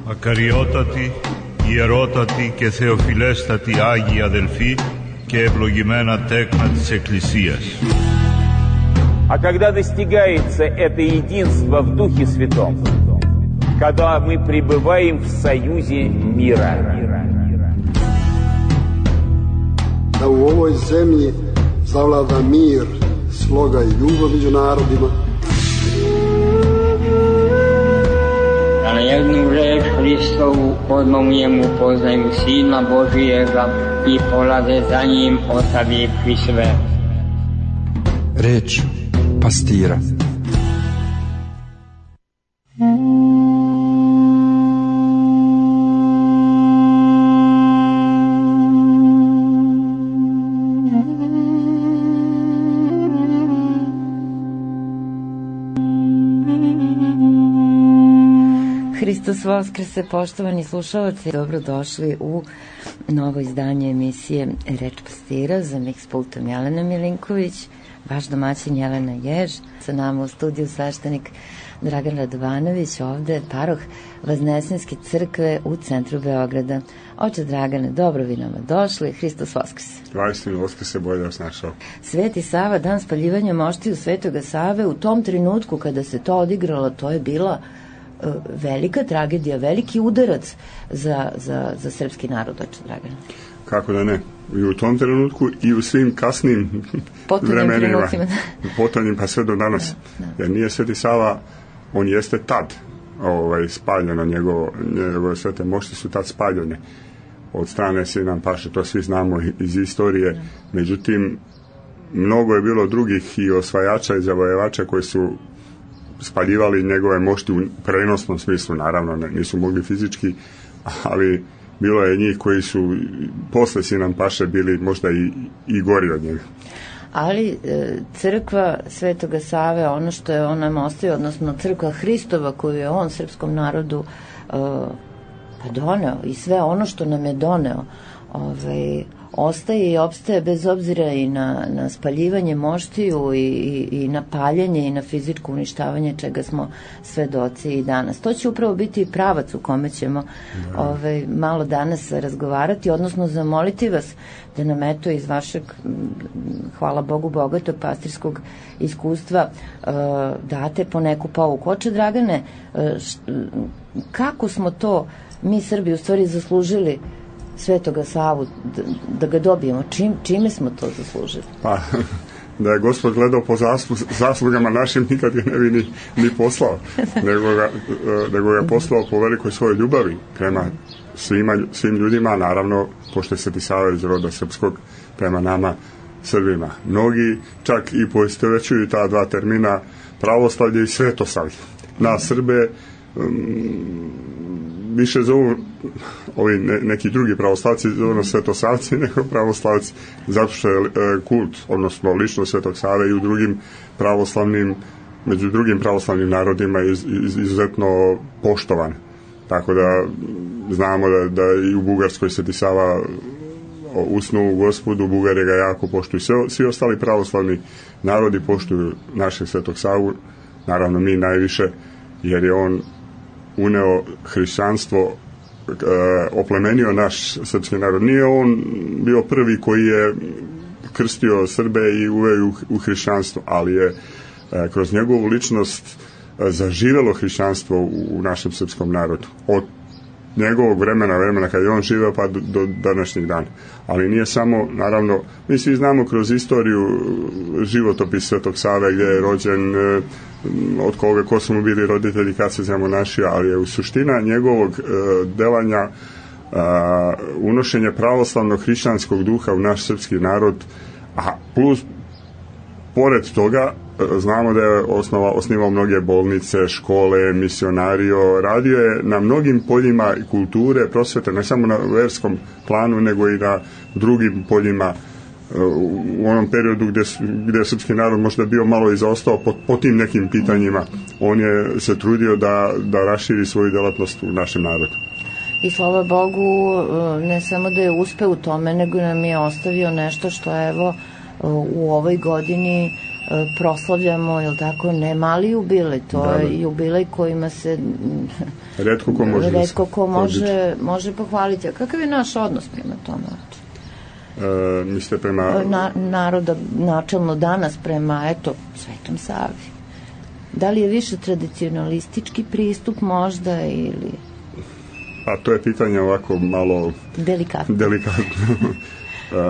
Ακαριότατη, ιερότατη και θεοφιλέστατη Άγιοι αδελφοί και ευλογημένα τέκνα της Εκκλησίας. А когда достигается это единство в Духе Святом, когда мы пребываем в союзе мира. Da u ovoj zemlji zavlada mir, sloga i ljubav među narodima. Da na jednu reč Hristovu odmah mu poznaju Sina Božijega i polaze za njim ostavivši sve. Reč pastira. Hristos Voskrese, poštovani slušalci, dobrodošli u novo izdanje emisije Reč pastira. Za miks pultom Jelena Milinković, vaš domaćin Jelena Jež, sa nama u studiju sveštenik Dragan Radovanović, ovde paroh Vaznesenske crkve u centru Beograda. Oče Dragane, dobro vi nama došli, Hristos Voskrese. Hristos Voskrese, bolje da vas našao. Sveti Sava, dan spaljivanja moštiju Svetoga Save, u tom trenutku kada se to odigralo, to je bila velika tragedija, veliki udarac za srpski narod, oče Dragane. Kako da ne? I u tom trenutku i u svim kasnim vremenima. Potonjim pa sve do danas. Da. Jer nije Sveti Sava, on jeste tad spaljeno, njegove svete mošti su tad spaljene od strane Sinan Paše, to svi znamo iz istorije. Da. Međutim, mnogo je bilo drugih i osvajača i zavojevača koji su spaljivali njegove mošti u prenosnom smislu, naravno nisu mogli fizički, ali bilo je njih koji su posle Sinan Paše bili možda i gori od njega. Ali crkva Svetoga Save, ono što je on nam ostavio, odnosno crkva Hristova koju je on srpskom narodu doneo i sve ono što nam je doneo, ostaje i opstaje bez obzira i na spaljivanje moštiju i na paljenje i na fizičko uništavanje čega smo svedoci i danas. To će upravo biti pravac u kome ćemo malo danas razgovarati, odnosno zamoliti vas da nam eto iz vašeg, hvala Bogu, bogatog pastirskog iskustva date po neku pouku. Oče Dragane, kako smo to mi Srbi u stvari zaslužili Svetoga Savu, da ga dobijemo? Čime smo to zaslužili? Pa, da je Gospod gledao po zaslugama našim, nikad ga ne bi ni poslao, nego ga poslao po velikoj svojoj ljubavi prema svim ljudima, naravno, pošto je Sveti Sava iz roda srpskog, prema nama Srbima. Mnogi čak i poistovećuju ta dva termina, pravoslavlje i svetosavlje. Na Srbe više zovu ovi neki drugi pravoslavci, zovu svetosavci nego pravoslavci, zato što je kult, odnosno lično Svetog Save i u drugim pravoslavnim, među drugim pravoslavnim narodima izuzetno poštovan. Tako da znamo da i u Bugarskoj Sveti Sava usnu u Gospodu, Bugari ga jako poštuju. Svi ostali pravoslavni narodi poštuju našeg Svetog Savu, naravno mi najviše, jer je on uneo hrišćanstvo, oplemenio naš srpski narod. Nije on bio prvi koji je krstio Srbe i uveo u hrišćanstvo, ali je kroz njegovu ličnost zaživelo hrišćanstvo u našem srpskom narodu. Od njegovog vremena kad je on živeo pa do današnjeg dana. Ali nije samo, naravno, mi svi znamo kroz istoriju životopis Svetog Save gdje je rođen, od koga, ko su mu bili roditelji, kad se zamonašio, ali je u suština njegovog delanja unošenje pravoslavnog hrišćanskog duha u naš srpski narod, a plus pored toga znamo da je osnivao mnoge bolnice, škole, misionario, radio je na mnogim poljima kulture, prosvete, ne samo na verskom planu, nego i na drugim poljima u onom periodu gdje je srpski narod možda bio malo i zaostao po tim nekim pitanjima. On je se trudio da raširi svoju delatnost u našem narodu. I slava Bogu, ne samo da je uspeo u tome, nego nam je ostavio nešto što evo u ovoj godini proslavljamo, jel tako, ne mali jubilej, to je jubilej kojima se retko ko može pohvaliti. A kakav je naš odnos prema tome? Mislite prema... Naroda načelno danas prema, Svetom Savi. Da li je više tradicionalistički pristup možda ili... A to je pitanje ovako malo... Delikatno.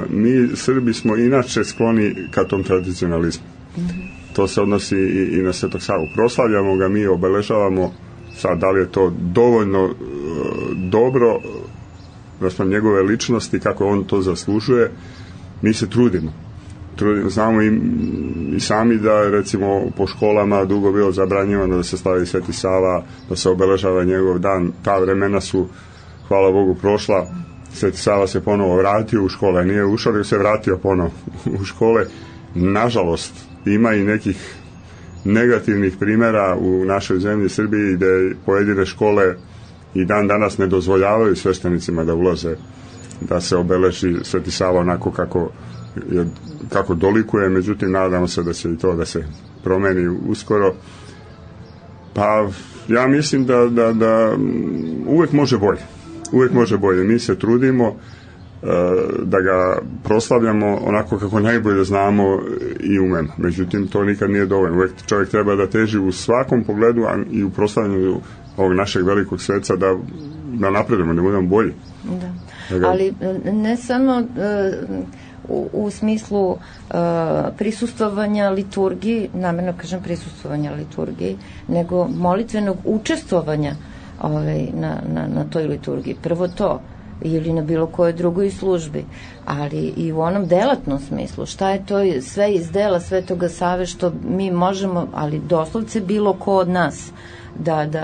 Mi Srbi smo inače skloni ka tom tradicionalizmu. To se odnosi i na Svetog Savu. Proslavljamo ga, mi obeležavamo, sad da li je to dovoljno dobro naspram njegove ličnosti, kako on to zaslužuje, mi se trudimo. Znamo i sami da recimo po školama dugo bilo zabranjivano da se slavi Sveti Sava, da se obeležava njegov dan. Ta vremena su, hvala Bogu, prošla. Sveti Sava se ponovo vratio u škole, nije ušao, nego se vratio ponovo u škole. Nažalost, ima i nekih negativnih primjera u našoj zemlji Srbiji gde pojedine škole i dan danas ne dozvoljavaju sveštenicima da ulaze, da se obeleži Sveti Sava onako kako dolikuje, međutim nadamo se da će i to da se promeni uskoro. Pa ja mislim da uvek može bolje. Mi se trudimo da ga proslavljamo onako kako najbolje znamo i umemo. Međutim, to nikad nije dovoljno. Uvek čovjek treba da teži u svakom pogledu, a i u proslavljanju ovog našeg velikog sveca da napredujemo, da budemo bolji. Da. Ali ne samo u smislu prisustvovanja liturgiji, namjerno kažem prisustvovanja liturgiji, nego molitvenog učestvovanja na toj liturgiji. Prvo to, ili na bilo kojoj drugoj službi, ali i u onom delatnom smislu. Šta je to sve iz dela Svetoga Save što mi možemo, ali doslovce bilo ko od nas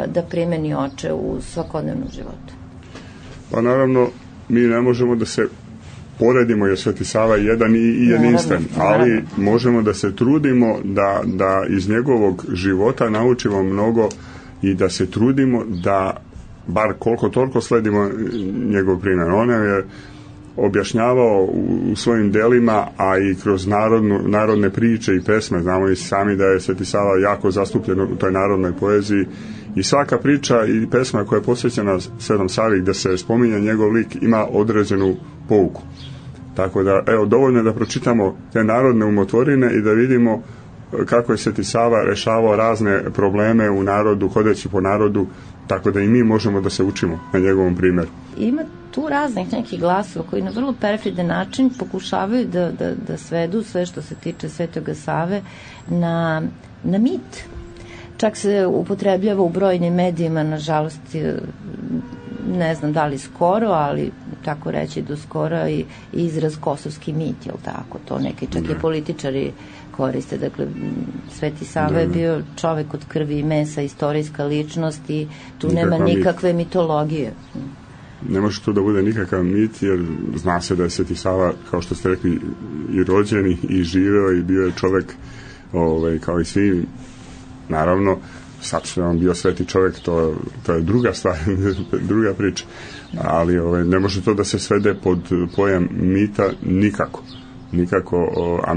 da primeni oče u svakodnevnom životu? Pa naravno, mi ne možemo da se poredimo jer Sveti Sava je jedan i jedinstven, ali možemo da se trudimo da iz njegovog života naučimo mnogo i da se trudimo da bar koliko toliko sledimo njegov primjer. On je objašnjavao u svojim delima, a i kroz narodne priče i pesme. Znamo i sami da je Sveti Sava jako zastupljen u toj narodnoj poeziji i svaka priča i pesma koja je posvećena Svetom Savi gde se spominje njegov lik ima određenu pouku. Tako da, dovoljno je da pročitamo te narodne umotvorine i da vidimo kako je Sveti Sava rešavao razne probleme u narodu, hodeći po narodu, tako da i mi možemo da se učimo na njegovom primjeru. Ima tu raznih nekih glasova koji na vrlo perfidan način pokušavaju da svedu sve što se tiče Svetoga Save na mit. Čak se upotrebljava u brojnim medijima, nažalost, ne znam da li skoro, ali tako reći do skoro i izraz kosovski mit, jel tako? To neki čak i političari koriste. Dakle, Sveti Sava je bio čovek od krvi i mesa, istorijska ličnost i tu nema nikakve mitologije. Ne može to da bude nikakav mit, jer zna se da je Sveti Sava, kao što ste rekli, i rođen i živeo i bio je čovek kao i svi. Naravno, sad što je on bio sveti čovjek, to je druga stvar, druga priča. Ali ne može to da se svede pod pojam mita nikako. A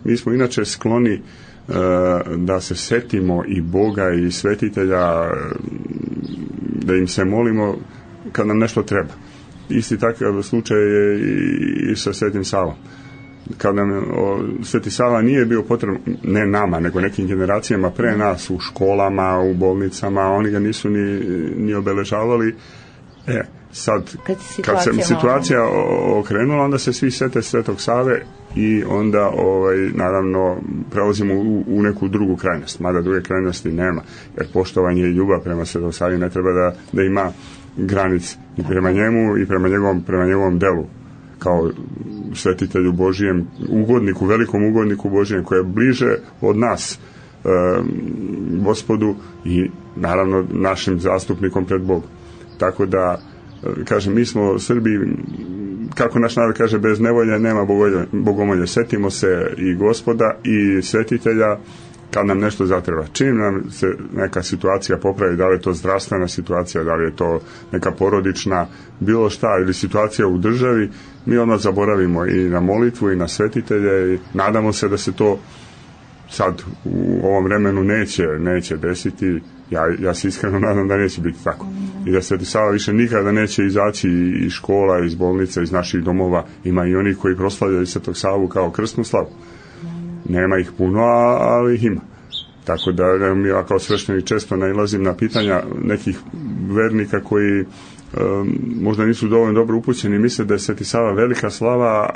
mi smo inače skloni da se setimo i Boga i svetitelja, da im se molimo kad nam nešto treba. Isti takav slučaj je i sa Svetim Savom. Kad nam Sveti Sava nije bio potreban, ne nama, nego nekim generacijama pre nas, u školama, u bolnicama, oni ga nisu ni obeležavali. Sad, kad se situacija okrenula, onda se svi sete Svetog Save i onda, naravno, prelazimo u neku drugu krajnost, mada druge krajnosti nema, jer poštovanje i ljubav prema Svetom Savi ne treba da ima granice i prema njemu i prema njegovom delu, kao svetitelju Božijem, velikom ugodniku Božijem, koji je bliže od nas Gospodu i naravno našim zastupnikom pred Bogom. Tako da, kažem, mi smo Srbi, kako naš narod kaže, bez nevolje nema bogomolje. Setimo se i Gospoda i svetitelja kad nam nešto zatreba. Čim nam se neka situacija popravi, da li je to zdravstvena situacija, da li je to neka porodična, bilo šta, ili situacija u državi, mi odmah zaboravimo i na molitvu i na svetitelje i nadamo se da se to sad u ovom vremenu neće desiti. Ja se iskreno nadam da neće biti tako. I da Sveti Sava više nikada neće izaći iz škola, iz bolnica, iz naših domova. Ima i oni koji proslavljaju Svetog Savu kao krsnu slavu. Nema ih puno, ali ih ima. Tako da ja kao sveštenik često nailazim na pitanja nekih vernika koji možda nisu dovoljno dobro upućeni, misle da je Sveti Sava velika slava,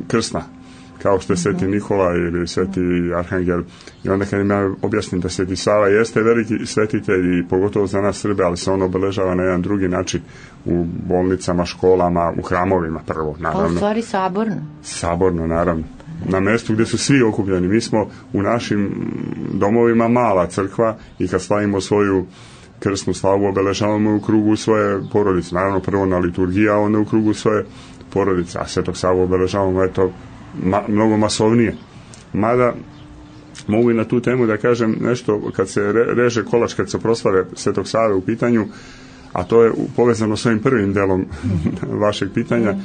krsna, kao što je Sveti Nikola ili Sveti Arhangel. I onda kad im ja objasnim da Sveti Sava jeste veliki svetitelj i pogotovo za nas Srbe, ali se on obeležava na jedan drugi način u bolnicama, školama, u hramovima prvo, naravno. Pa u stvari saborno. Saborno, naravno. Na mjestu gdje su svi okupljeni. Mi smo u našim domovima mala crkva i kad slavimo svoju krsnu slavu obeležavamo u krugu svoje porodice. Naravno prvo na liturgiji, a onda u krugu svoje porodice. A Svetog Savu obeležavamo mnogo masovnije. Mada mogu i na tu temu da kažem nešto, kad se reže kolač, kad se proslave Svetog Save u pitanju, a to je povezano s ovim prvim delom vašeg pitanja,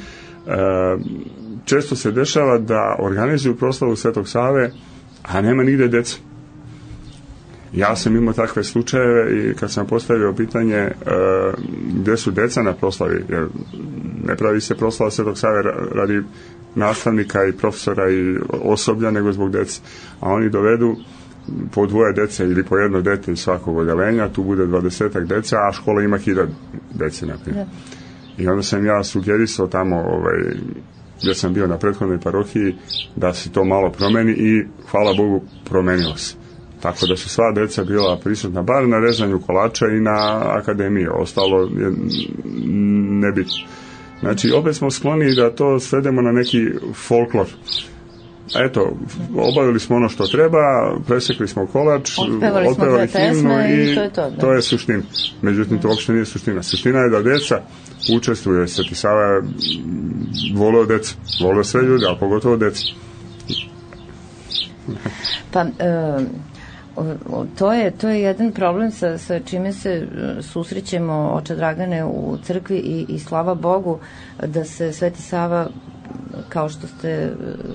često se dešava da organizuju proslavu Svetog Save, a nema nigde deca. Ja sam imao takve slučajeve i kad sam postavio pitanje gde su deca na proslavi, jer ne pravi se proslava Svetog Save radi nastavnika i profesora i osoblja, nego zbog dece. A oni dovedu po dvoje dece ili po jedno dete iz svakog odeljenja, tu bude 20 deca, a škola ima 1000 dece, na primjer. I onda sam ja sugerisao tamo, gdje sam bio na prethodnoj parohiji, da se to malo promeni i hvala Bogu promenilo se. Tako da su sva deca bila prisutna bar na rezanju kolača i na akademiji, ostalo je nebitno. Znači, opet smo skloni da to svedemo na neki folklor. Eto, obavili smo ono što treba, presekli smo kolač, otpevali himnu i to je suština. Međutim, to uopšte nije suština. Suština je da deca učestvuje. Sveti Sava je voleo deca, voleo sve ljudi, a pogotovo deca. Pa, to je jedan problem sa čime se susrećemo, oče Dragane, u crkvi i slava Bogu da se Sveti Sava, kao što ste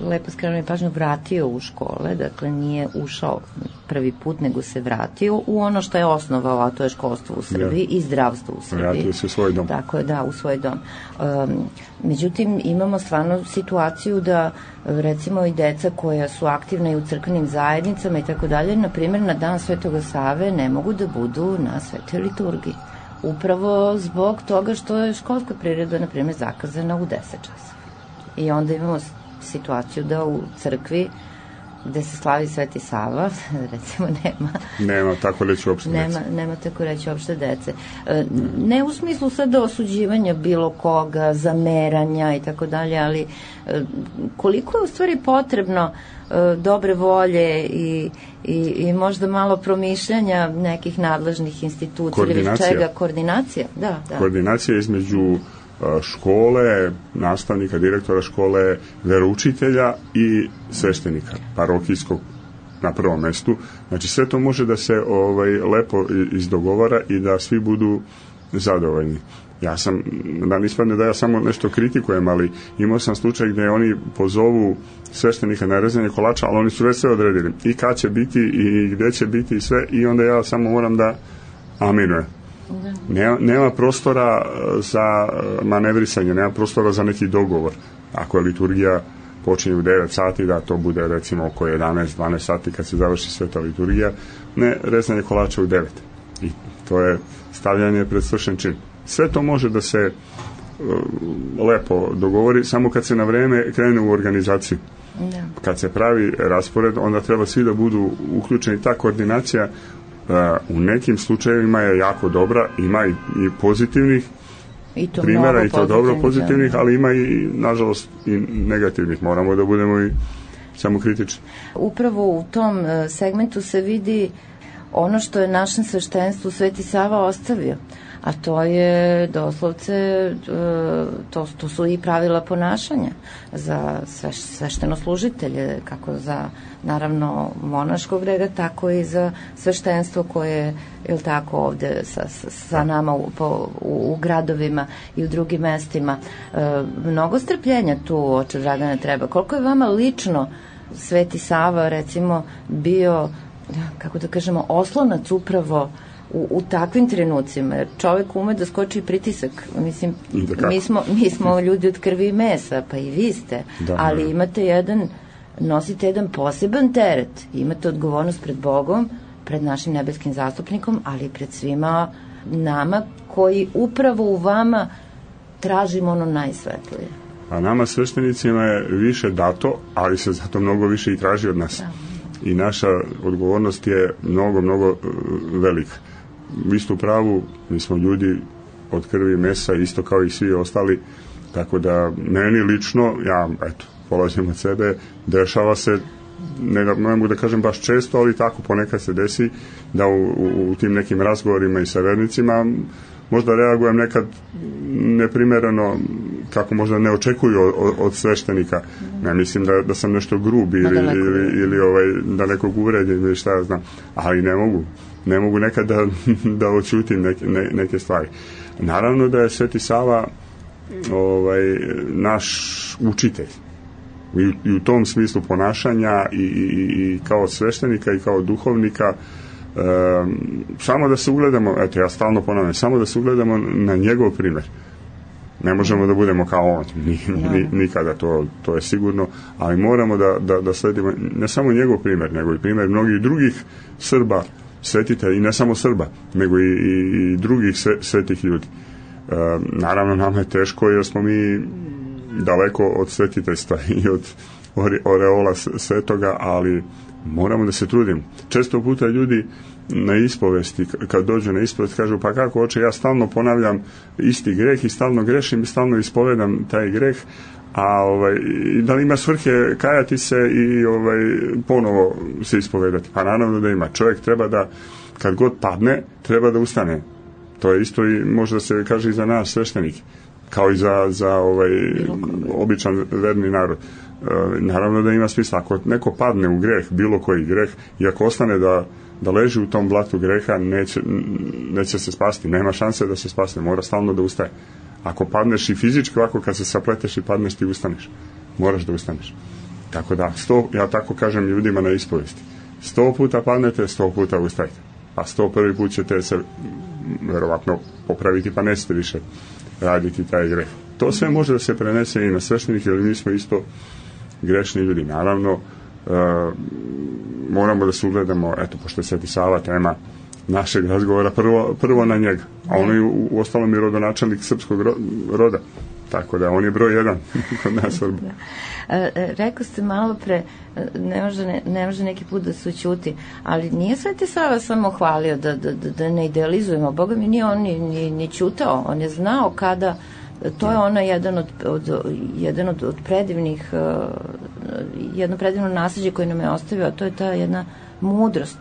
lepo skrenuli pažnju, vratio u škole, dakle nije ušao prvi put, nego se vratio u ono što je osnovao, a to je školstvo u Srbiji i zdravstvo u Srbiji. Vratio se u svoj dom. Tako je, da, u svoj dom. Međutim, imamo stvarno situaciju da, recimo, i deca koja su aktivna i u crkvenim zajednicama i tako dalje, na primjer, na dan Svetoga Save ne mogu da budu na svetoj liturgiji. Upravo zbog toga što je školska priroda, na primjer, zakazana u 10 časova. I onda imamo situaciju da u crkvi gde se slavi Sveti Sava, recimo nema tako reći uopšte dece. Nema tako reći uopšte dece. Ne u smislu sada osuđivanja bilo koga, zameranja i tako dalje, ali koliko je u stvari potrebno dobre volje i možda malo promišljanja nekih nadležnih institucija ili čega, koordinacija. Da. Koordinacija između škole, nastavnika, direktora škole, veroučitelja i sveštenika, parohijskog na prvom mestu. Znači sve to može da se lepo izdogovara i da svi budu zadovoljni. Ja sam, da nispadne da ja samo nešto kritikujem, ali imao sam slučaj gdje oni pozovu sveštenika na rezanje kolača, ali oni su već sve odredili. I kad će biti i gdje će biti i sve, i onda ja samo moram da aminujem. Nema prostora za manevrisanje, nema prostora za neki dogovor. Ako je liturgija počinje u 9 sati, da to bude recimo oko 11-12 sati kad se završi sveta liturgija, ne rezanje kolača u 9. I to je stavljanje pred svršen čin. Sve to može da se lepo dogovori, samo kad se na vreme krene u organizaciju. Kad se pravi raspored, onda treba svi da budu uključeni. Ta koordinacija u nekim slučajevima je jako dobra, ima i pozitivnih primjera, i to dobro pozitivnih, ali ima i, nažalost, i negativnih. Moramo da budemo i samokritični. Upravo u tom segmentu se vidi ono što je našem sveštenstvu Sveti Sava ostavio, a to je doslovce, to su i pravila ponašanja za sveštenoslужitelje, kako za, naravno, monaškog reda, tako i za sveštenstvo koje je tako ovde sa nama u gradovima i u drugim mestima. Mnogo strpljenja tu, oče Dragane, treba. Koliko je vama lično Sveti Sava recimo bio, kako da kažemo, oslonac upravo u takvim trenucima, jer čovek ume da skoči pritisak. Mislim, mi smo ljudi od krvi i mesa, pa i vi ste, ali nosite jedan poseban teret, imate odgovornost pred Bogom, pred našim nebeskim zastupnikom, ali i pred svima nama koji upravo u vama tražimo ono najsvetlije. A nama sveštenicima je više dato, ali se zato mnogo više i traži od nas. I naša odgovornost je mnogo velika. Vi ste u pravu, mi smo ljudi od krvi i mesa, isto kao i svi ostali, tako da meni lično, ja polazim od sebe, dešava se, ne mogu da kažem baš često, ali tako ponekad se desi da u tim nekim razgovorima i sa vernicima možda reagujem nekad neprimereno, kako možda ne očekuju od sveštenika. Ne mislim da sam nešto grub ili da nekog uvredim ili šta ja znam, ali ne mogu nekad da oćutim neke stvari. Naravno da je Sveti Sava naš učitelj i u tom smislu ponašanja i kao sveštenika i kao duhovnika. Samo da se ugledamo, ja stalno ponavljam, samo da se ugledamo na njegov primjer. Ne možemo da budemo kao on, nikada, to je sigurno, ali moramo da sledimo ne samo njegov primjer, nego i primjer mnogih drugih Srba, svetitelja, i ne samo Srba, nego i drugih svetih ljudi. Naravno, nama je teško jer smo mi daleko od svetiteljstva i od oreola svetoga, ali moramo da se trudimo. Često puta ljudi na ispovesti, kad dođu na ispovest, kažu, pa kako oče, ja stalno ponavljam isti greh i stalno grešim i stalno ispovedam taj greh, a da li ima svrhe kajati se i ponovo se ispovedati? Pa naravno da ima. Čovjek treba da, kad god padne, treba da ustane. To je isto i možda se kaže i za nas sveštenike, kao i za običan verni narod. Naravno da ima smisla. Ako neko padne u greh, bilo koji greh, i ako ostane da leži u tom blatu greha, neće se spasti. Nema šanse da se spasne. Mora stalno da ustaje. Ako padneš i fizički, ovako kad se sapleteš i padneš, ti ustaneš. Moraš da ustaneš. Tako da, ja tako kažem ljudima na ispovesti. 100 puta padnete, 100 puta ustajte. A 101. put ćete se verovatno popraviti, pa nećete više raditi taj greh. To sve može da se prenese i na sveštenike, jer mi smo isto grešni ljudi. Naravno, moramo da se ugledamo, pošto je Sveti Sava tema našeg razgovora, prvo na njega. A on je u ostalom i rodonačelnik srpskog roda. Tako da on je broj 1 kod nas Srba. Rekao ste malo pre, ne može neki put da se ućuti, ali nije Sveti Sava samo hvalio da ne idealizujemo. Boga mi nije on ni ćutao, on je znao kada. To je ona jedan od predivnih, jedno predivno nasljeđe koje nam je ostavio, a to je ta jedna mudrost.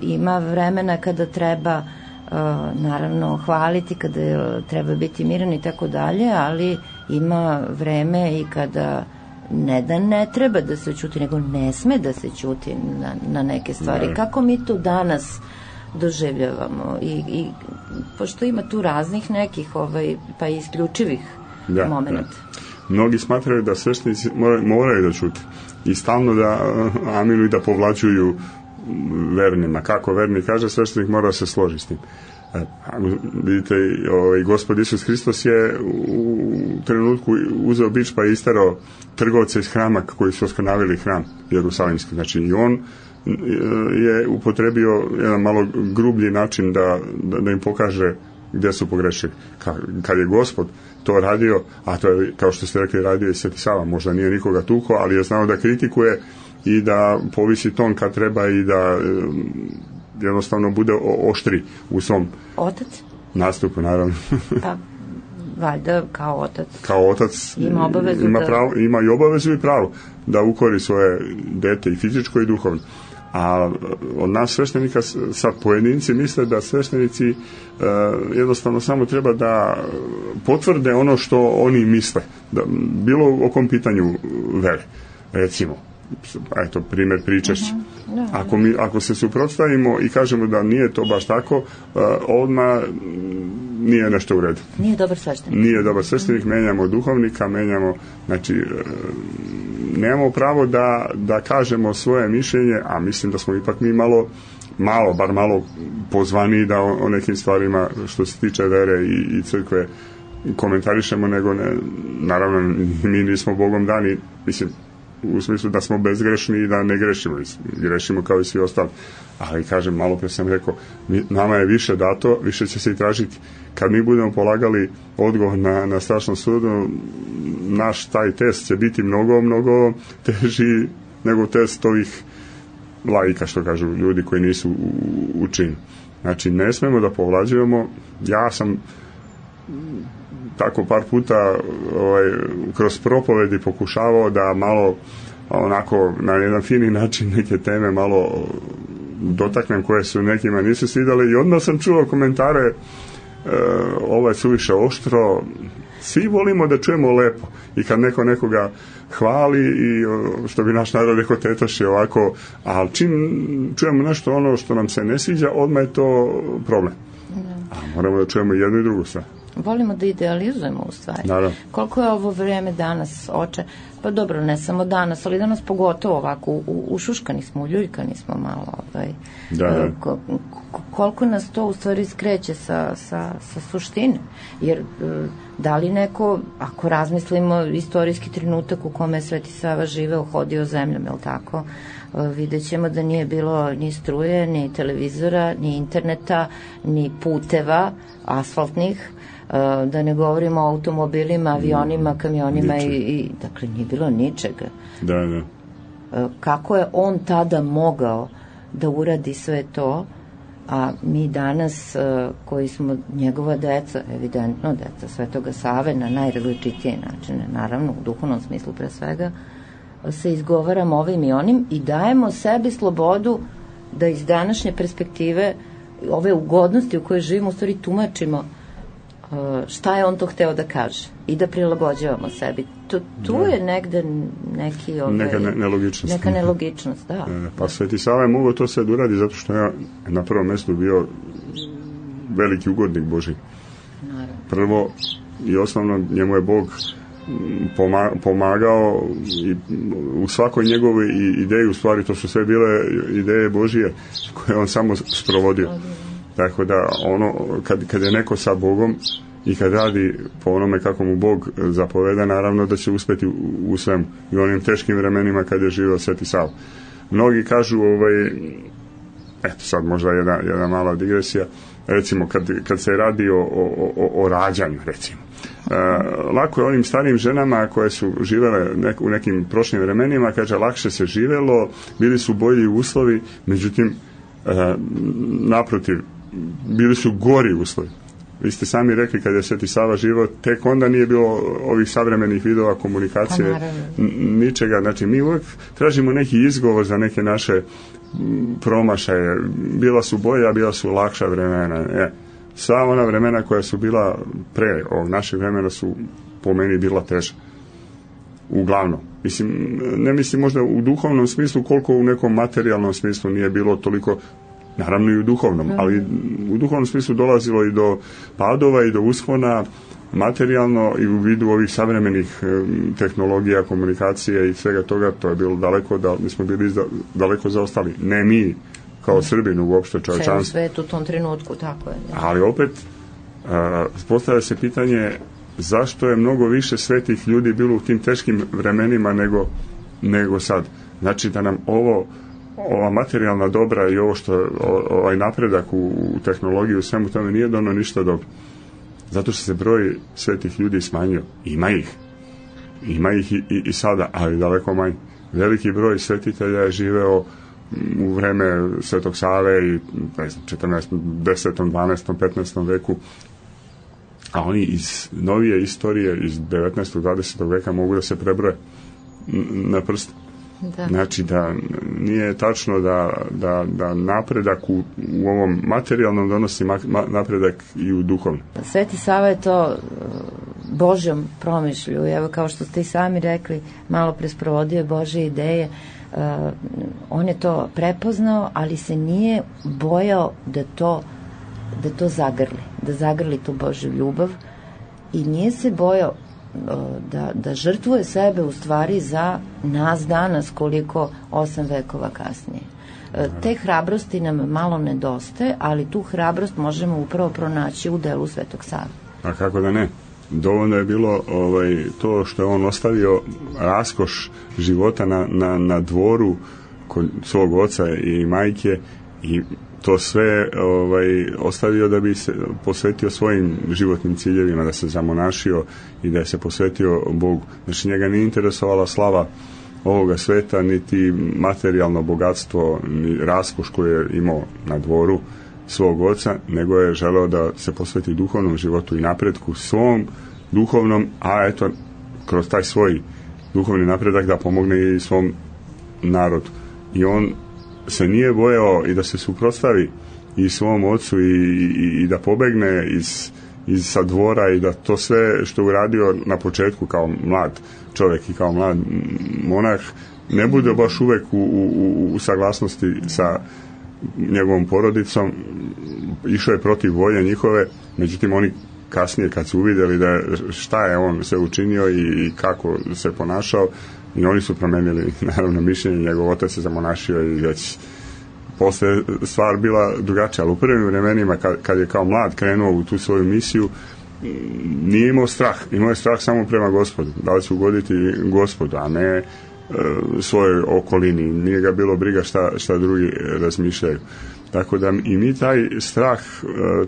Ima vremena kada treba naravno hvaliti, kada treba biti miran i tako dalje, ali ima vreme i kada ne treba da se ćuti, nego ne sme da se ćuti na neke stvari. Kako mi to danas doživljavamo i pošto ima tu raznih nekih pa i isključivih momenta. Mnogi smatraju da sveštenici moraju da ćute i stalno da amiluju i da povlačuju vernima. Kako verni kaže, sveštenik mora se složiti s tim. Vidite, Gospod Isus Hristos je u trenutku uzeo bič pa je isterao trgovce iz hrama koji su oskrnavili hram jerusalimski. Znači i on je upotrebio jedan malo grublji način da im pokaže gdje su pogrešili. Kad je Gospod to radio, a to je, kao što ste rekli, radio i Sveti Sava, možda nije nikoga tuko, ali je znao da kritikuje i da povisi ton kad treba i da jednostavno bude oštri u svom nastupu, naravno. Pa, valjda kao otac. Kao otac ima obavezu ima i obavezu i pravo da ukori svoje dete i fizičko i duhovno. A od nas sveštenika sad pojedinci misle da sveštenici jednostavno samo treba da potvrde ono što oni misle, bilo o kom pitanju vere. Recimo, primjer pričešća. Ako se suprotstavimo i kažemo da nije to baš tako, odmah nije nešto u redu. Nije dobar sveštenik. Nije dobar sveštenik, menjamo duhovnika, menjamo, znači nemamo pravo da kažemo svoje mišljenje, a mislim da smo ipak mi bar malo pozvani da o nekim stvarima što se tiče vere i crkve komentarišemo, nego ne, naravno mi nismo Bogom dani, mislim, u smislu da smo bezgrešni i da ne grešimo, grešimo kao i svi ostali, ali kažem, malo pre sam rekao, nama je više dato, više će se i tražiti. Kad mi budemo polagali odgovor na strašnom sudu, naš taj test će biti mnogo teži nego test ovih laika, što kažu ljudi koji nisu u činu. Znači, ne smemo da povlađujemo. Ja sam tako par puta kroz propovedi pokušavao da malo onako na jedan fini način neke teme malo dotaknem koje su nekima nisu svidjeli i odmah sam čuo komentare ovo je suviše oštro. Svi volimo da čujemo lepo i kad neko nekoga hvali i što bi naš narod rekao tetoši ovako, ali čim čujemo nešto ono što nam se ne sviđa, odmah je to problem. A moramo da čujemo jedno i drugo sve. Volimo da idealizujemo u stvari. Naravno. Koliko je ovo vreme danas pa dobro, ne samo danas, ali danas pogotovo ovako, ušuškani smo, uljuljkani smo malo. Koliko nas to u stvari skreće sa suštine. Jer da li neko, ako razmislimo istorijski trenutak u kome je Sveti Sava živeo, hodio zemljom, je li tako? Vidjet ćemo da nije bilo ni struje, ni televizora, ni interneta, ni puteva asfaltnih, da ne govorimo o automobilima, avionima, kamionima i dakle nije bilo ničega. Da. Kako je on tada mogao da uradi sve to, a mi danas koji smo njegova deca, evidentno deca Svetoga Save na najrazličitije načine, naravno u duhovnom smislu pre svega, se izgovaramo ovim i onim i dajemo sebi slobodu da iz današnje perspektive ove ugodnosti u kojoj živimo u stvari tumačimo šta je on to hteo da kaže i da prilagođavamo sebi. Tu je negde neka nelogičnost. Neka nelogičnost, da. Pa Sveti Sava je mogao to sve da uradi zato što je na prvom mestu bio veliki ugodnik Božji. Naravno. Prvo i osnovno njemu je Bog pomagao i u svakoj njegovoj ideji, u stvari to su sve bile ideje Božije koje on samo sprovodio. Tako da ono, kad je neko sa Bogom i kad radi po onome kako mu Bog zapoveda, naravno da će uspeti u svemu i onim teškim vremenima kad je živio Sveti Sava. Mnogi kažu, eto sad možda jedna mala digresija, recimo kad se radi o rađanju, recimo. Lako je onim starijim ženama koje su živele u nekim prošlim vremenima, kaže, lakše se živelo, bili su bolji uslovi, međutim, naprotiv, bili su gori uslovi. Vi ste sami rekli kad je Sveti Sava živio, tek onda nije bilo ovih savremenih vidova komunikacije, ničega. Znači, mi uvijek tražimo neki izgovor za neke naše promašaje. Bila su bolja, bila su lakša vremena. Sva ona vremena koja su bila pre ovog našeg vremena su po meni bila teža. Uglavnom. Ne mislim možda u duhovnom smislu koliko u nekom materijalnom smislu nije bilo toliko, naravno i u duhovnom, ali u duhovnom smislu dolazilo i do padova i do uspona materijalno i u vidu ovih savremenih tehnologija, komunikacije i svega toga, to je bilo daleko, mi smo bili daleko zaostali. Ne mi kao Srbin, uopšte čovječanstvo. Ceo svet u tom trenutku, tako je. Ali opet, postavlja se pitanje zašto je mnogo više svetih ljudi bilo u tim teškim vremenima nego sad. Znači da nam ova materijalna dobra i ovo što ovaj napredak u tehnologiji u svemu tome nije dono ništa dobro. Zato što se broj svetih ljudi smanjio. Ima ih i sada, ali daleko manje. Veliki broj svetitelja je živeo u vreme Svetog Save i 14., 10., 12., 15. veku, a oni iz novije istorije iz 19. 20. veka mogu da se prebroje na prst. Da. Znači da nije tačno da napredak u ovom materijalnom donosi napredak i u duhovnom. Sveti Sava je to Božjom promišlju, evo kao što ste i sami rekli, malo pre sprovodio Božje ideje, on je to prepoznao, ali se nije bojao da to zagrli tu Božju ljubav i nije se bojao da žrtvuje sebe u stvari za nas danas, koliko 8 vekova kasnije. Te hrabrosti nam malo nedostaje, ali tu hrabrost možemo upravo pronaći u delu Svetog Save. A kako da ne? Dovoljno je bilo to što je on ostavio raskoš života na dvoru kod svog oca i majke, i to sve ostavio da bi se posvetio svojim životnim ciljevima, da se zamonašio i da se posvetio Bogu. Znači, njega nije interesovala slava ovoga sveta, niti materijalno bogatstvo, ni raskoš koji je imao na dvoru svog oca, nego je želeo da se posveti duhovnom životu i napretku svom duhovnom, a eto, kroz taj svoj duhovni napredak da pomogne i svom narodu. I on se nije bojao i da se suprotstavi i svom ocu i da pobegne iz sa dvora, i da to sve što uradio na početku kao mlad čovjek i kao mlad monah ne bude baš uvek u saglasnosti sa njegovom porodicom. Išao je protiv volje njihove, međutim oni kasnije kad su uvidjeli da šta je on se učinio i kako se ponašao, i oni su promenili naravno mišljenje. Njegov otac se zamonašio i već posle stvar bila drugačija, ali u prvim vremenima kad je kao mlad krenuo u tu svoju misiju, nije imao strah, imao je strah samo prema Gospodu, da li će ugoditi Gospodu, a ne svojoj okolini. Nije ga bilo briga šta drugi razmišljaju. Tako da i mi taj strah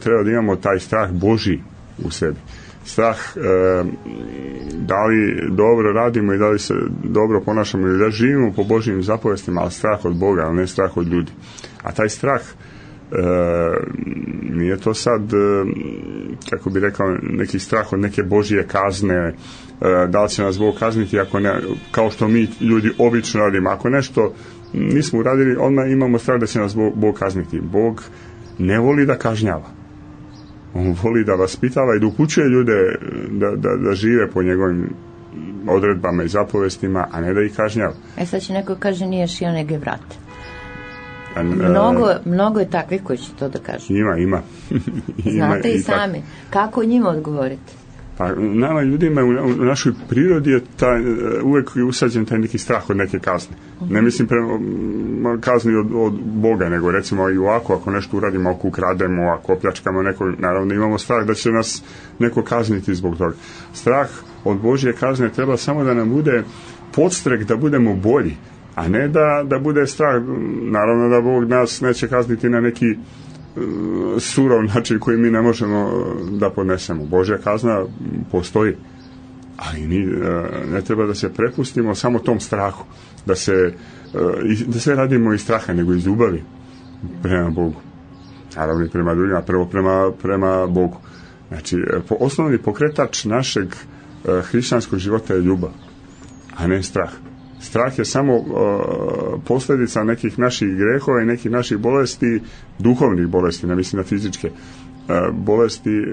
treba da imamo, taj strah Božji u sebi. Strah da li dobro radimo i da li se dobro ponašamo i da živimo po Božjim zapovestima, ali strah od Boga, ali ne strah od ljudi. A taj strah nije to sad, kako bi rekao, neki strah od neke Božje kazne, da li će nas Bog kazniti ako ne, kao što mi ljudi obično radimo. Ako nešto nismo uradili, odmah imamo strah da će nas Bog kazniti. Bog ne voli da kažnjava. On voli da vaspitava i da upućuje ljude da žive po njegovim odredbama i zapovestima, a ne da ih kažnjava. Sad će neko kaže nije šio nego vrate. Mnogo je takvih koji će to da kažu. Ima. Znate i sami. Kako njima odgovoriti? Pa nama ljudima u našoj prirodi je uvek usađen taj neki strah od neke kazne. Ne mislim kazni od Boga, nego recimo i ovako, ako nešto uradimo, ako ukrademo, ako opljačkamo neko, naravno imamo strah da će nas neko kazniti zbog toga. Strah od Božje kazne treba samo da nam bude podstrek da budemo bolji, a ne da bude strah. Naravno da Bog nas neće kazniti na neki surov način koji mi ne možemo da podnesemo. Božja kazna postoji, ali ne treba da se prepustimo samo tom strahu, da sve radimo iz straha, nego iz ljubavi prema Bogu, naravno i prema drugima, prvo prema Bogu. Znači, osnovni pokretač našeg hrišćanskog života je ljubav, a ne strah. Strah je samo posljedica nekih naših grehova i nekih naših bolesti, duhovnih bolesti, ne mislim na fizičke bolesti,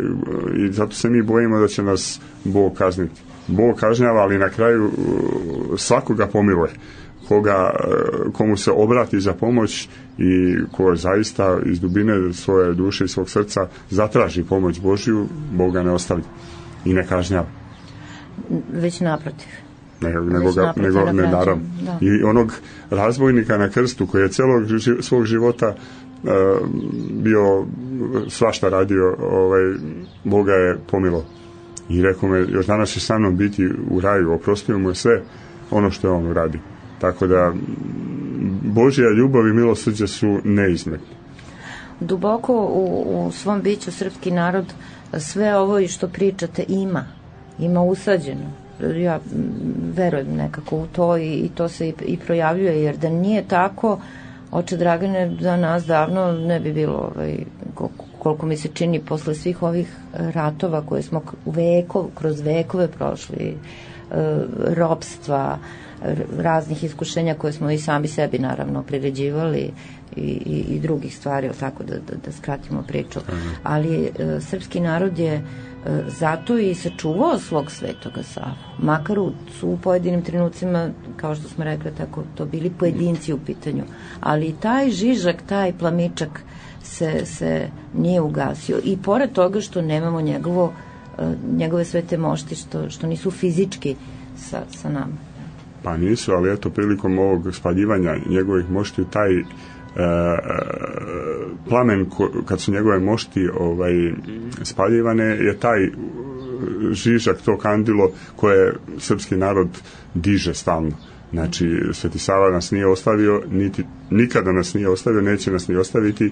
i zato se mi bojimo da će nas Bog kazniti. Bog kažnjava, ali na kraju svakoga pomiluje. Komu se obrati za pomoć i ko zaista iz dubine svoje duše i svog srca zatraži pomoć Božju, Bog ga ne ostavlja i ne kažnjava. Već naprotiv. Nego naravno. I onog razbojnika na krstu koji je celog svog života bio svašta radio, Boga je pomilo i rekao me, još danas će sa mnom biti u raju, oprostio mu je sve ono što je on uradio. Tako da Božja ljubav i milosrđe su neizmjerni. Duboko u svom biću srpski narod sve ovo i što pričate ima usađeno. Ja verujem nekako u to i to se i projavljuje, jer da nije tako, oče Dragane, za nas davno ne bi bilo koliko mi se čini posle svih ovih ratova koje smo kroz vekove prošli, ropstva, raznih iskušenja koje smo i sami sebi naravno priređivali i drugih stvari, tako da skratimo priču. Ali srpski narod je zato i sačuvao svog Svetoga Savu. Makar su u pojedinim trenucima, kao što smo rekli, tako to bili pojedinci u pitanju. Ali taj žižak, taj plamičak se nije ugasio. I pored toga što nemamo njegovo njegove svete mošti što nisu fizički sa nama. Pa nisu, ali eto, prilikom ovog spaljivanja njegovih mošti, taj plamen kad su njegove mošti spaljivane, je taj žižak, to kandilo koje srpski narod diže stalno. Znači, Sveti Sava nas nije ostavio, nikada nas nije ostavio, neće nas ni ostaviti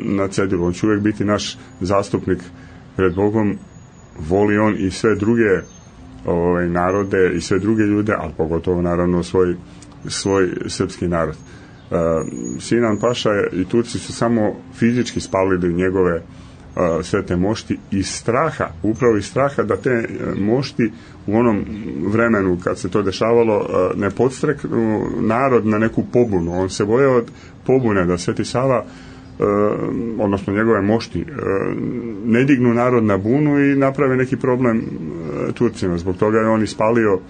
na cedilu. On će uvijek biti naš zastupnik pred Bogom. Voli on i sve druge narode i sve druge ljude, ali pogotovo naravno svoj srpski narod. Sinan Paša i Turci su samo fizički spalili njegove svete mošti iz straha, upravo iz straha da te mošti u onom vremenu kad se to dešavalo ne podstreknu narod na neku pobunu. On se bojao od pobune, da Sveti Sava odnosno njegove mošti ne dignu narod na bunu i naprave neki problem Turcima. Zbog toga je on ispalio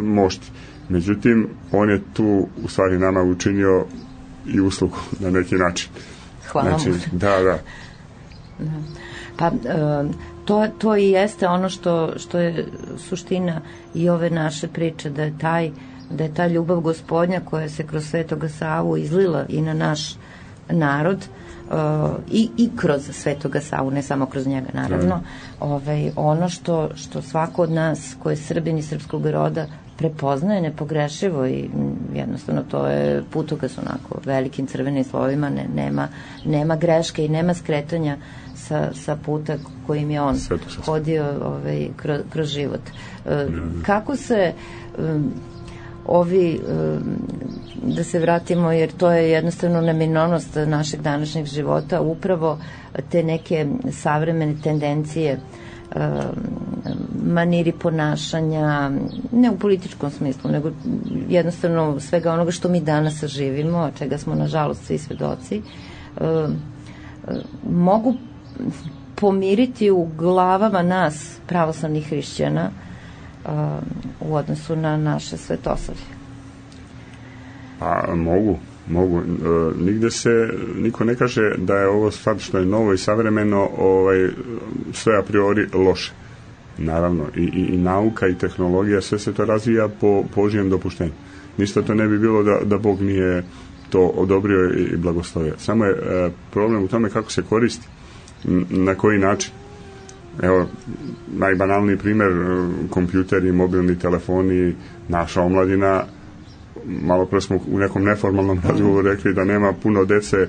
mošti. Međutim, on je tu u stvari nama učinio i uslugu na neki način. Hvala mu. Znači, da. Pa to i jeste ono što je suština i ove naše priče, da je ta ljubav Gospodnja koja se kroz Svetoga Savu izlila i na naš narod i kroz Svetoga Savu, ne samo kroz njega naravno, ono što svako od nas ko je Srbin i srpskog roda prepoznaje nepogrešivo i jednostavno to je putokaz onako velikim crvenim slovima, nema greške i nema skretanja sa puta kojim je on hodio kroz život. Kako se da se vratimo, jer to je jednostavno neminovnost našeg današnjeg života, upravo te neke savremene tendencije, maniri ponašanja, ne u političkom smislu, nego jednostavno svega onoga što mi danas živimo, a čega smo nažalost svi svedoci, mogu pomiriti u glavama nas pravoslavnih hrišćana u odnosu na naše svetosavlje. Pa mogu. Nigde se niko ne kaže da je ovo sad što je novo i savremeno sve a priori loše. Naravno, i nauka i tehnologija, sve se to razvija po Božjem dopuštenju. Ništa to ne bi bilo da Bog nije to odobrio i blagoslovio. Samo je problem u tome kako se koristi, na koji način. Evo, najbanalniji primjer, kompjuteri, mobilni telefoni, naša omladina. Malo pre smo u nekom neformalnom razgovoru rekli da nema puno dece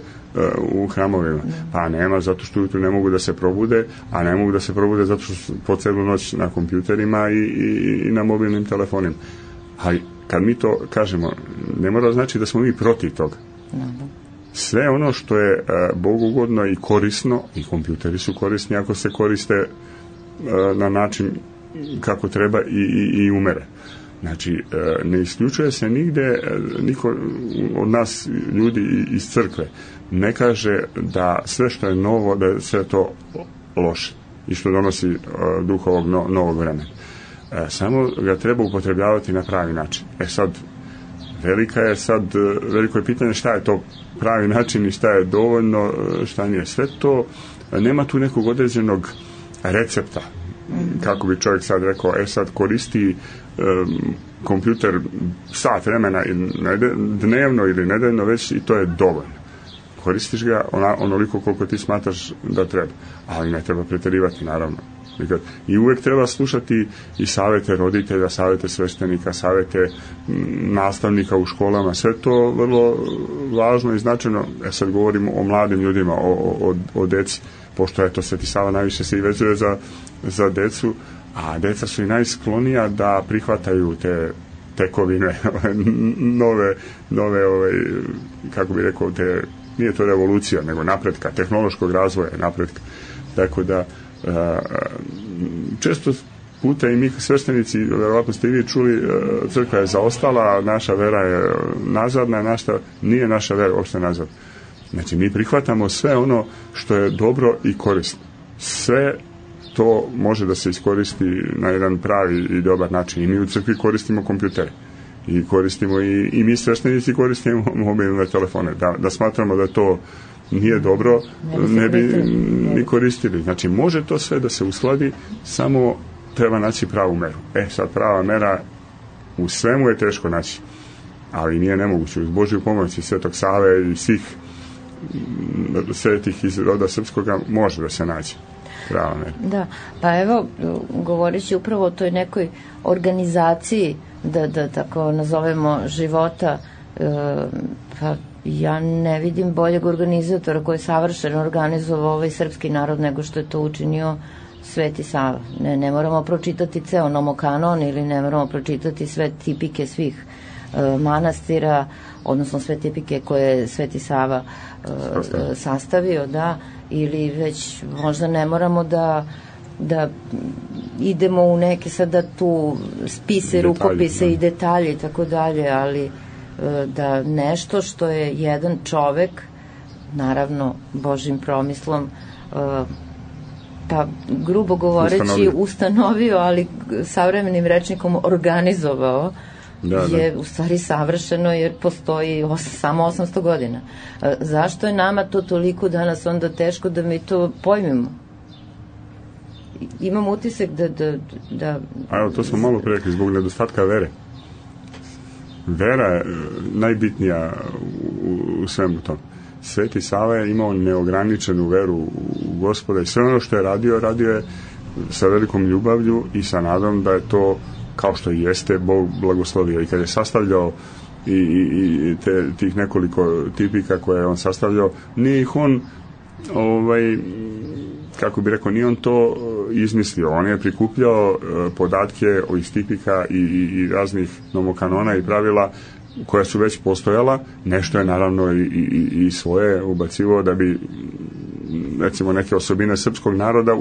u hramovima. Pa nema, zato što ujutru ne mogu da se probude, a ne mogu da se probude zato što su po celu noć na kompjuterima i na mobilnim telefonima. Ali kad mi to kažemo, ne mora znači da smo mi protiv toga. Sve ono što je bogugodno i korisno, i kompjuteri su korisni ako se koriste na način kako treba i umere. Znači, ne isključuje se nigde, niko od nas ljudi iz crkve ne kaže da sve što je novo, da je sve to loše i što donosi duh ovog novog vremena. Samo ga treba upotrebljavati na pravi način. Sad, veliko je pitanje šta je to pravi način i šta je dovoljno, šta nije. Sve to, nema tu nekog određenog recepta. Kako bi čovjek sad rekao, sad koristi kompjuter sat vremena dnevno ili nedeljno već i to je dovoljno. Koristiš ga onoliko koliko ti smatraš da treba. Ali ne treba pretjerivati, naravno. I uvijek treba slušati i savjete roditelja, savjete sveštenika, savjete nastavnika u školama. Sve to vrlo važno i značajno. Sad govorimo o mladim ljudima, o deci, pošto je to Sveti Sava najviše se i vezuje za decu, a deca su i najsklonija da prihvataju te tekovine nove kako bi rekao, nije to revolucija, nego napretka, tehnološkog razvoja, napretka. Tako da često puta i mi sveštenici, verovatno ste i vi čuli, crkva je zaostala, naša vera je nazadna, nije naša vera uopšte nazadna. Znači, mi prihvatamo sve ono što je dobro i korisno. Sve to može da se iskoristi na jedan pravi i dobar način. I mi u crkvi koristimo kompjutere. I koristimo i mi sveštenici koristimo mobilne telefone. Da smatramo da je to nije dobro, ne bi ni koristili. Znači, može to sve da se uskladi, samo treba naći pravu meru. Sad prava mera u svemu je teško naći, ali nije nemoguće. Uz Božju pomoć i Svetog Save i svih svetih iz roda srpskoga može da se naći prava mera. Da, pa evo, govoreći upravo o toj nekoj organizaciji, da tako nazovemo, života, pa ja ne vidim boljeg organizatora koji je savršeno organizovao ovaj srpski narod nego što je to učinio Sveti Sava. Ne moramo pročitati ceo nomokanon ili ne moramo pročitati sve tipike svih manastira, odnosno sve tipike koje je Sveti Sava sastavio, da, ili već možda ne moramo da idemo u neke sada tu spise, rukopise i detalje i tako dalje, ali da nešto što je jedan čovek, naravno Božjim promislom, pa grubo govoreći ustanovio, ali savremenim rečnikom organizovao, je u stvari savršeno, jer postoji samo 800 godina. Zašto je nama to toliko danas onda teško da mi to pojmimo? Imam utisak da... A evo, to smo malo pre rekli, zbog nedostatka vere. Vera je najbitnija u svemu tom. Sveti Sava je imao neograničenu veru u Gospoda i sve ono što je radio je sa velikom ljubavlju i sa nadom da je to, kao što i jeste, Bog blagoslovio. I kad je sastavljao i tih nekoliko tipika koje je on sastavljao, nije ih on kako bi rekao, nije on to izmislio, on je prikupljao podatke iz tipika i raznih nomokanona i pravila koja su već postojala, nešto je naravno i svoje ubacivao da bi, recimo, neke osobine srpskog naroda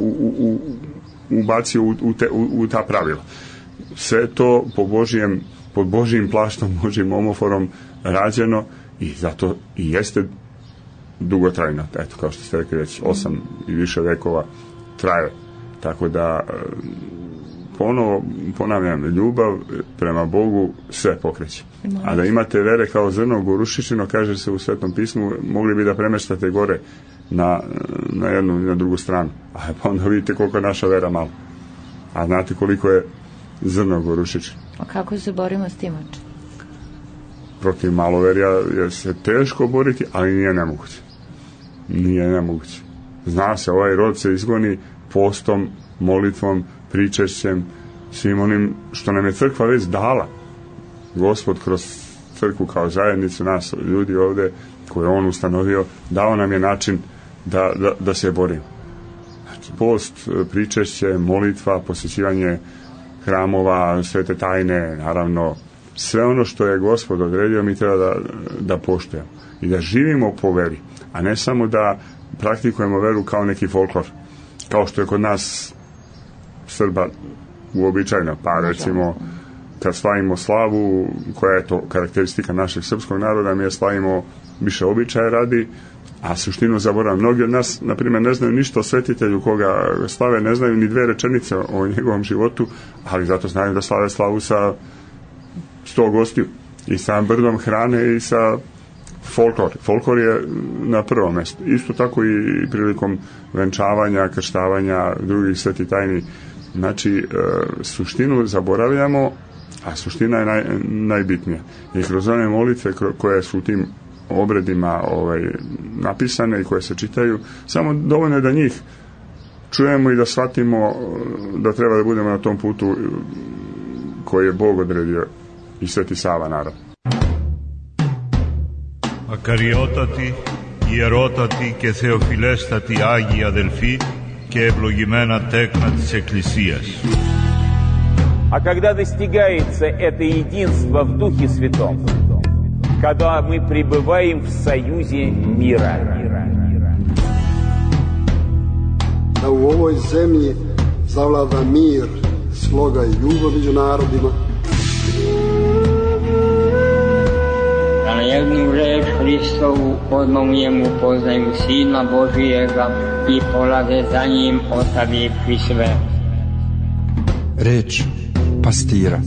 ubacio u ta pravila. Sve to pod Božijim plaštom, Božijim omoforom rađeno i zato i jeste dugotrajno, eto, kao što ste rekli, već 8 i više vekova traje. Tako da, ponovo ponavljam, ljubav prema Bogu sve pokreće. A da imate vere kao zrno gorušičino, kaže se u Svetom pismu, mogli bi da premeštate gore na jednu i na drugu stranu. A pa onda vidite koliko je naša vera malo. A znate koliko je zrno gorušičino. A kako se borimo s tim? Protiv maloverja je se teško boriti, ali nije nemoguće. Nije nemoguće. Zna se, ovaj rod se izgoni postom, molitvom, pričešćem, svim onim što nam je crkva već dala. Gospod kroz crkvu kao zajednicu nas, ljudi ovde koje on ustanovio, dao nam je način da se borimo. Znači, post, pričešće, molitva, posjećivanje hramova, svete tajne, naravno, sve ono što je Gospod odredio mi treba da poštujemo i da živimo po veri, a ne samo da praktikujemo veru kao neki folklor, kao što je kod nas Srba uobičajeno, pa recimo kad slavimo slavu, koja je to karakteristika našeg srpskog naroda, mi je slavimo više običaja radi, a suštinu zaboravimo. Mnogi od nas, na primjer, ne znaju ništa o svetitelju koga slave, ne znaju ni 2 rečenice o njegovom životu, ali zato znaju da slave slavu sa 100 gostiju i sa brdom hrane i sa folklor. Folklor je na prvom mjestu. Isto tako i prilikom venčavanja, krštavanja, drugih svetih tajni. Znači, suštinu zaboravljamo, a suština je najbitnija. I kroz one molitve koje su u tim obredima napisane i koje se čitaju, samo dovoljno je da njih čujemo i da shvatimo da treba da budemo na tom putu koji je Bog odredio i Sveti Sava, naravno. Ακαριότατη, ιερότατη και θεοφιλέστατη Άγιοι αδελφοί και ευλογημένα τέκνα της Εκκλησίας. А когда достигается это единство в Духе Святом, когда мы пребываем в союзе мира. Da u ovoj zemlji zavlada mir, sloga i ljubav među narodima. Da na jednu reč Hristovu odmah u njemu poznaju Sina Božijega i polaze za njim ostavivši sve. Reč pastira.